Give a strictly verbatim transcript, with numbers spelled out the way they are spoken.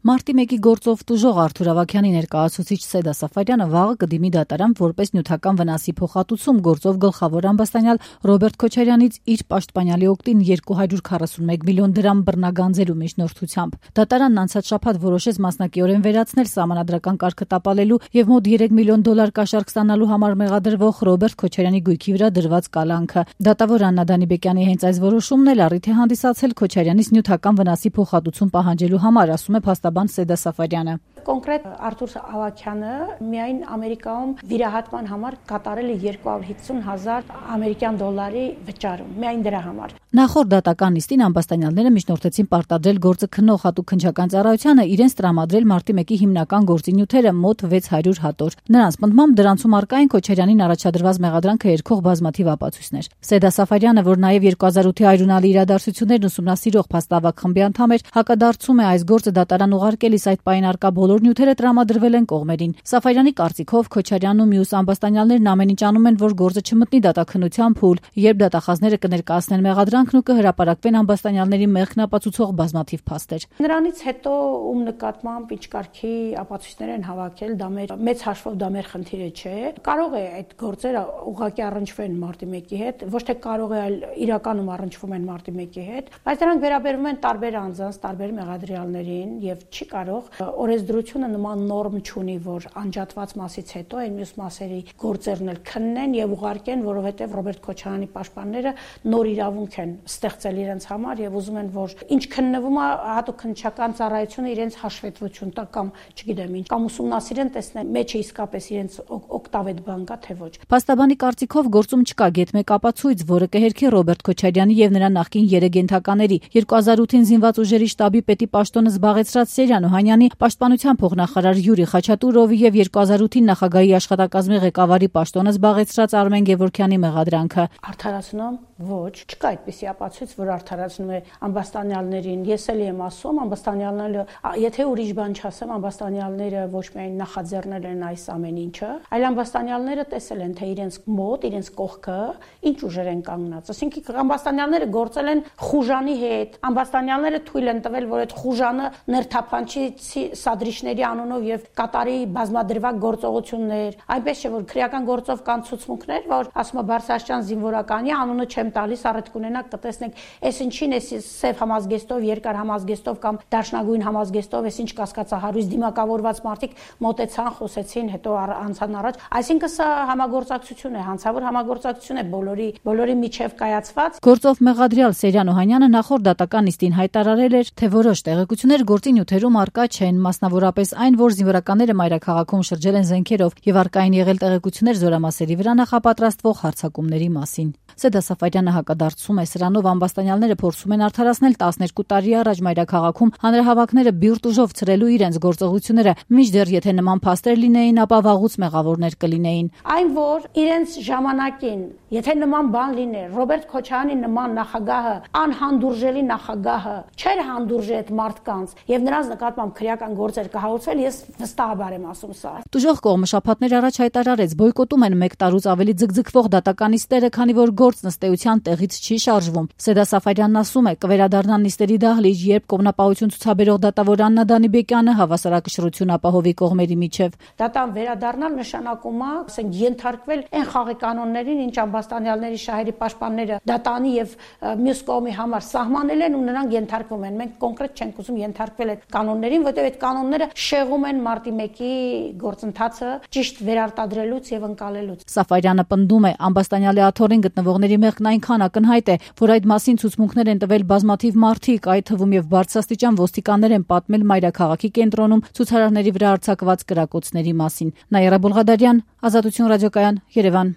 Մարտի մեկի գործով տուժող Արթուր Ավագյանի ներկայացուցիչ Սեդա Սաֆարյանը վաղը կդիմի դատարան որպես նյութական վնասի փոխհատուցում գործով գլխավոր ամբաստանյալ Ռոբերտ Քոչարյանից իր պաշտպանյալի օգտին երկու հարյուր քառասունմեկ միլիոն դրամ բռնագանձելու միջնորդությամբ։ Դատարանն անցած շաբաթ որոշեց մասնակիորեն վերացնել սահմանադրական կարգը տապալելու եւ մոտ երեք միլիոն դոլար կաշառք ստանալու համար մեղադրվող Ռոբերտ Քոչարյանի գույքի վրա դրված կալանքը։ Դատավոր Աննա Դանիբեկյանի հենց այս որոշումն էլ առիթ է հանդիսացել Քոչարյանից նյութական վնասի փոխհատուցում պահանջելու համար, ասում է փաստաբան Սեդա Սաֆարյանը։ Կոնկրետ Արթուր Ավագյանը միայն Ամերիկայում վիրահատման համար կատարել է երկու հարյուր հիսուն հազար ամերիկյան դոլարի վճարում, միայն դրա համար։ Նախորդ դատական նիստին ամբաստանյալները միջնորդեցին պարտադրել գործը քննող հատուկ քննչական ծառայությանը իրենց տրամադրել մարտի մեկի հիմնական գործի նյութերը մոտ վեց հարյուր հատոր։ Նրանց պնդմամբ դրանցում առկա են Քոչարյանին առաջադրված մեղադրանքը երգող բազմաթիվ ապացույցներ։ Սեդա Սաֆարյանը, որ նաև երկու հազար ութի այրունալի իրադարձություններն ուսումնասիրող փաստավակ խմբի անդամ էր, հակադարձում է այս գործը դատարան ուղարկելիս այդ պահին առկա բոլոր նյութերը տրամադրվել են կողմերին։ Սաֆարյանի կարծիքով Քոչարյանն ու մյուս ամբաստանյալներն ամեն ինչ անում են, որ գործը չմտնի դատաքննության փուլ, երբ դատախազները կներկայացնեն մեղադրանքն ու կհրապարակվեն ամբաստանյալների մեղքն ապացուցող բազմաթիվ փաստեր։ Նրանից հետո ում նկատմամբ ինչ կարգի ապացույցներ են հավաքել, դա մեր մեծ հաշվով դա մեր խնդիրը չէ։ Կարող է այդ գործերը ուղղակի առնչվեն մարտի մեկի հետ, ոչ թե կարող է, այլ իրականում առնչվում են մարտի մեկի հետ, բայց դրանք վերաբերում են տարբեր անձանց, տարբեր մեղադրյալներին եւ չի կարող օրենսդրությունը նման նորմ չունի, որ անջատված մասից հետո այն մյուս մասերի գործերն էլ քննեն եւ ուղարկեն, որովհետեւ Ռոբերտ Քոչարյանի պաշտպանները նոր իրավունք են ստեղծել իրենց համար եւ ուզում են, որ ինչ քննվում է հատուկ քննչական ծառայությունը իրենց հաշվետվություն տա կամ չգիտեմ ինչ, կամ ուսումնասիրեն, տեսնեն մեջը իսկապես իրենց օգտավետ բան կա թե ոչ։ Փաստաբանի կարծիքով գործում չկա գեթ մեկ ապացույց, որը կհերքի Ռոբերտ Քոչարյանի եւ նրա նախկին երեք ենթակաների երկու հազար ութին զինված ուժերի շտաբի պետի պաշտոնը զբաղեցրած Սերյան Օհանյանի, պաշտպանության փոխնախարար Յուրի Խաչատուրովի եւ երկու հազար ութին նախագահի աշխատակազմի ղեկավարի պաշտոնը զբաղեցրած Արմեն Գևորգյանի մեղադրանքը։ Արդարացնում ոչ, չկա այդպիսի ապացույց, որ արդարացնում է ամբաստանյալներին։ Ես էլ եմ ասում, ամբաստանյալները, եթե ուրիշ բան չասեմ, ամբաստանյալները ոչ միայն նախաձեռնել են այս ամեն ինչը, այլ ամբաստանյալները տեսել են, թե իրենց մոտ, իրենց կողքը ինչ ուժեր են կանգնած։ Այսինքն ամբաստանյալները գործել են Խուժանի հետ, ամբաստանյալները թույլ են տվել, որ այդ Խուժանը ներթափանչի սադրիչների անունով եւ կատարի բազմադրվակ գործողություններ, այնպես չէ որ քրեական գործով կան ցուցմունքներ, որ ասում է Բարսաշյան զինվորականի անունը չեմ տալիս, առդ կունենաք կտեսնեք, այս ինչին էս սև համազգեստով, երկար համազգեստով կամ դաշնագույն համազգեստով, այս ինչ կասկածահարույց դիմակավորված մարդիկ մոտեցան, խոսեցին, հետո անցան առաջ, այսինքն սա համագործակցություն է, հանցավոր համագործակցություն է բոլորի բոլորի միջև կայացված։ Գործով մեղադրյալ Սերյան Օհանյանը նախորդ դատական նիստին հայտարարել էր, թե որոշ տեղեկություններ գործի նյութերում առկա չեն, մասնավորապես այն, որ զինվորականները մայրաքաղաքում շրջել են զենքերով եւ առկա են եղել տեղեկություններ զորամասերի վրա նախապատրաստվող հարձակումների մասին։ Սեդա Սաֆարյանը հակադարձում է սրանով ամբաստանյալները փորձում են արդարացնել տասներկու տարի առաջ մայրաքաղաքում հանրահավաքները բիրտ ուժով ցրելու իրենց գործողությունները, մինչդեռ եթե նման փաստեր լինեին, ապա վաղուց մեղավորներ կլինեին։ Այն որ իրենց ժամանակին, եթե նման բան լիներ, Ռոբերտ Քոչարյանի նման նախագահը, անհանդուրժելի նախագահը, չէր հանդուրժի այդ մարդկանց եւ նրանց նկատմամբ քրեական գործեր կհաղորդվել, ես վստահաբար եմ ասում սա։ Տուժող կողմը շաբաթներ առաջ հայտարարեց, բոյկոտում են մեկ տարուց ավելի ձգձգվող դատական նիստերը, քանի որ գործն ըստ էության տեղից չի շարժվում։ Սեդա Սաֆարյանն ասում է, կվերադառնան նիստերի դահլիճ, երբ կողմնապահություն ցուցաբերող դատավոր Աննա Դանիբեկյանը հավասարակշռություն ապահովի կողմերի միջև։ Դատան վերադառնալ նշանակում է, ասենք, ենթարկվել այն խաղի կանոններին, ինչ ամբաստանյալների շահերի պաշտպանները դատանի եւ մյուս կողմի համար սահմանել են ու նրանք ենթարկվում են։ Մենք կոնկրետ չենք ուզում ենթարկվել այդ կանոններին, որտեղ այդ կանոնները շեղում են մարտի մեկի գործընթացը ճիշտ վերարտադրելուց եւ ընկալելուց։ Սաֆարյանը պնդում է, ամբաստանյալի աթոռին գտնվողների մեղքն այնքան ակնհայտ է, որ այդ մասին ցուցմունքներ են տվել բազմաթիվ մարդիկ, այդ թվում եւ բարձրաստիճան ոստիկաններ են պատմել մայրաքաղաքի կենտրոնում ցուցարարների վրա արձակված կրակոցների մասին։ Նաիրա Բոլղադարյան, Ազատություն ռադիոկայան, Երևան։